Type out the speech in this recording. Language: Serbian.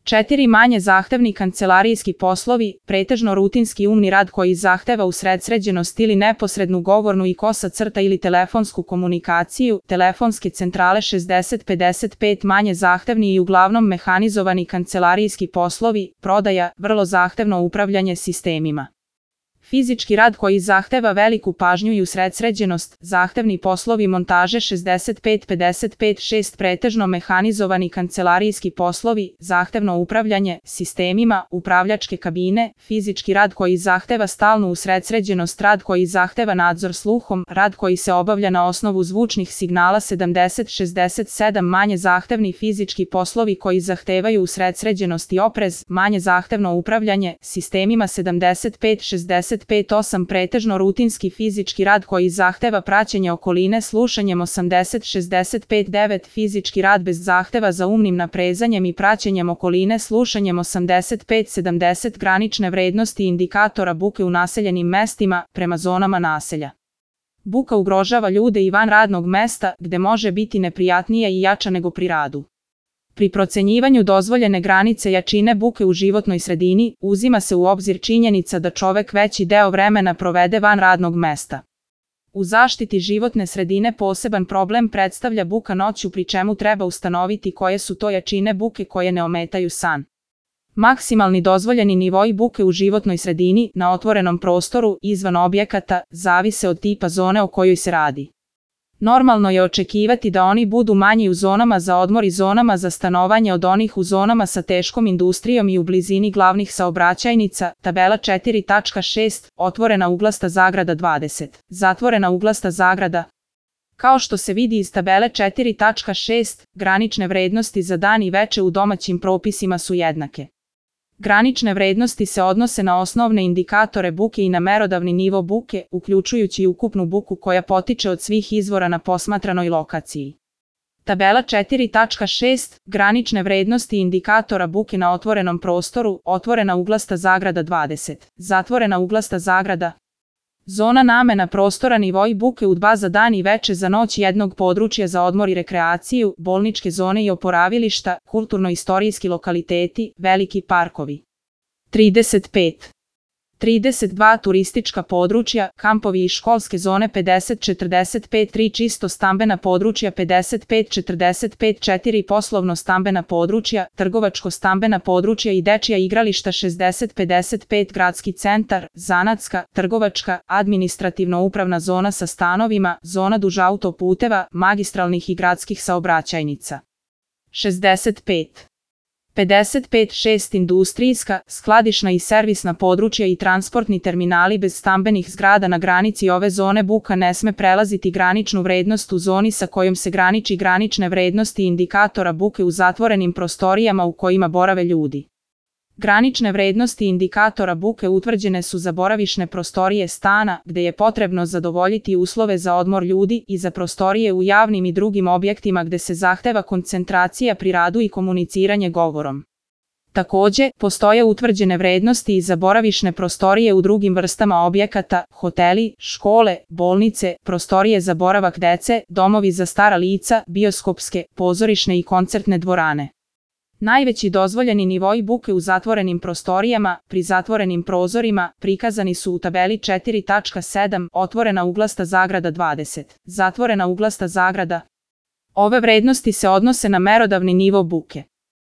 4. Manje zahtevni kancelarijski poslovi, pretežno rutinski umni rad koji zahteva usredsređenost ili neposrednu govornu i kosa crta ili telefonsku komunikaciju, telefonske centrale 60-55. Manje zahtevni i uglavnom mehanizovani kancelarijski poslovi, prodaja, vrlo zahtevno upravljanje sistemima. Fizički rad koji zahteva veliku pažnju i usredsređenost, zahtevni poslovi montaže 65-55-6. Pretežno mehanizovani kancelarijski poslovi, zahtevno upravljanje sistemima, upravljačke kabine, fizički rad koji zahteva stalnu usredsređenost, rad koji zahteva nadzor sluhom, rad koji se obavlja na osnovu zvučnih signala 70-67. Manje zahtevni fizički poslovi koji zahtevaju usredsređenost i oprez, manje zahtevno upravljanje sistemima 75-68. Pretežno rutinski fizički rad koji zahteva praćenje okoline slušanjem 80-65. Fizički rad bez zahteva za umnim naprezanjem i praćenjem okoline slušanjem 85-70. Granične vrednosti indikatora buke u naseljenim mestima, prema zonama naselja. Buka ugrožava ljude i van radnog mesta, gde može biti neprijatnija i jača nego pri radu. Pri procenjivanju dozvoljene granice jačine buke u životnoj sredini, uzima se u obzir činjenica da čovek veći deo vremena provede van radnog mesta. U zaštiti životne sredine poseban problem predstavlja buka noću, pri čemu treba ustanoviti koje su to jačine buke koje ne ometaju san. Maksimalni dozvoljeni nivoi buke u životnoj sredini, na otvorenom prostoru, izvan objekata, zavise od tipa zone o kojoj se radi. Normalno je očekivati da oni budu manji u zonama za odmor i zonama za stanovanje od onih u zonama sa teškom industrijom i u blizini glavnih saobraćajnica, tabela 4.6, otvorena uglasta zagrada 20, zatvorena uglasta zagrada. Kao što se vidi iz tabele 4.6, granične vrednosti za dan i veče u domaćim propisima su jednake. Granične vrednosti se odnose na osnovne indikatore buke i na merodavni nivo buke, uključujući i ukupnu buku koja potiče od svih izvora na posmatranoj lokaciji. Tabela 4.6, granične vrednosti indikatora buke na otvorenom prostoru, otvorena uglasta zagrada 20, zatvorena uglasta zagrada. Zona namena prostora, nivoi buke u 2 za dan i veče za noć jednog područja za odmor i rekreaciju, bolničke zone i oporavilišta, kulturno-istorijski lokaliteti, veliki parkovi. 35. 32. Turistička područja, kampovi i školske zone 50-45. 3. Čisto stambena područja 55-45. 4. Poslovno stambena područja, trgovačko stambena područja i dečija igrališta 60-55. Gradski centar, zanatska, trgovačka, administrativno-upravna zona sa stanovima, zona duž autoputeva, magistralnih i gradskih saobraćajnica. 65. 55-6. Industrijska, skladišna i servisna područja i transportni terminali bez stambenih zgrada. Na granici ove zone buka ne sme prelaziti graničnu vrednost u zoni sa kojom se graniči granične vrednosti indikatora buke u zatvorenim prostorijama u kojima borave ljudi. Granične vrednosti indikatora buke utvrđene su za boravišne prostorije stana, gde je potrebno zadovoljiti uslove za odmor ljudi, i za prostorije u javnim i drugim objektima gde se zahteva koncentracija pri radu i komuniciranje govorom. Takođe, postoje utvrđene vrednosti i za boravišne prostorije u drugim vrstama objekata, hoteli, škole, bolnice, prostorije za boravak dece, domovi za stara lica, bioskopske, pozorišne i koncertne dvorane. Najveći dozvoljeni nivoi buke u zatvorenim prostorijama, pri zatvorenim prozorima, prikazani su u tabeli 4.7, otvorena uglasta zagrada 20, zatvorena uglasta zagrada. Ove vrednosti se odnose na merodavni nivo buke.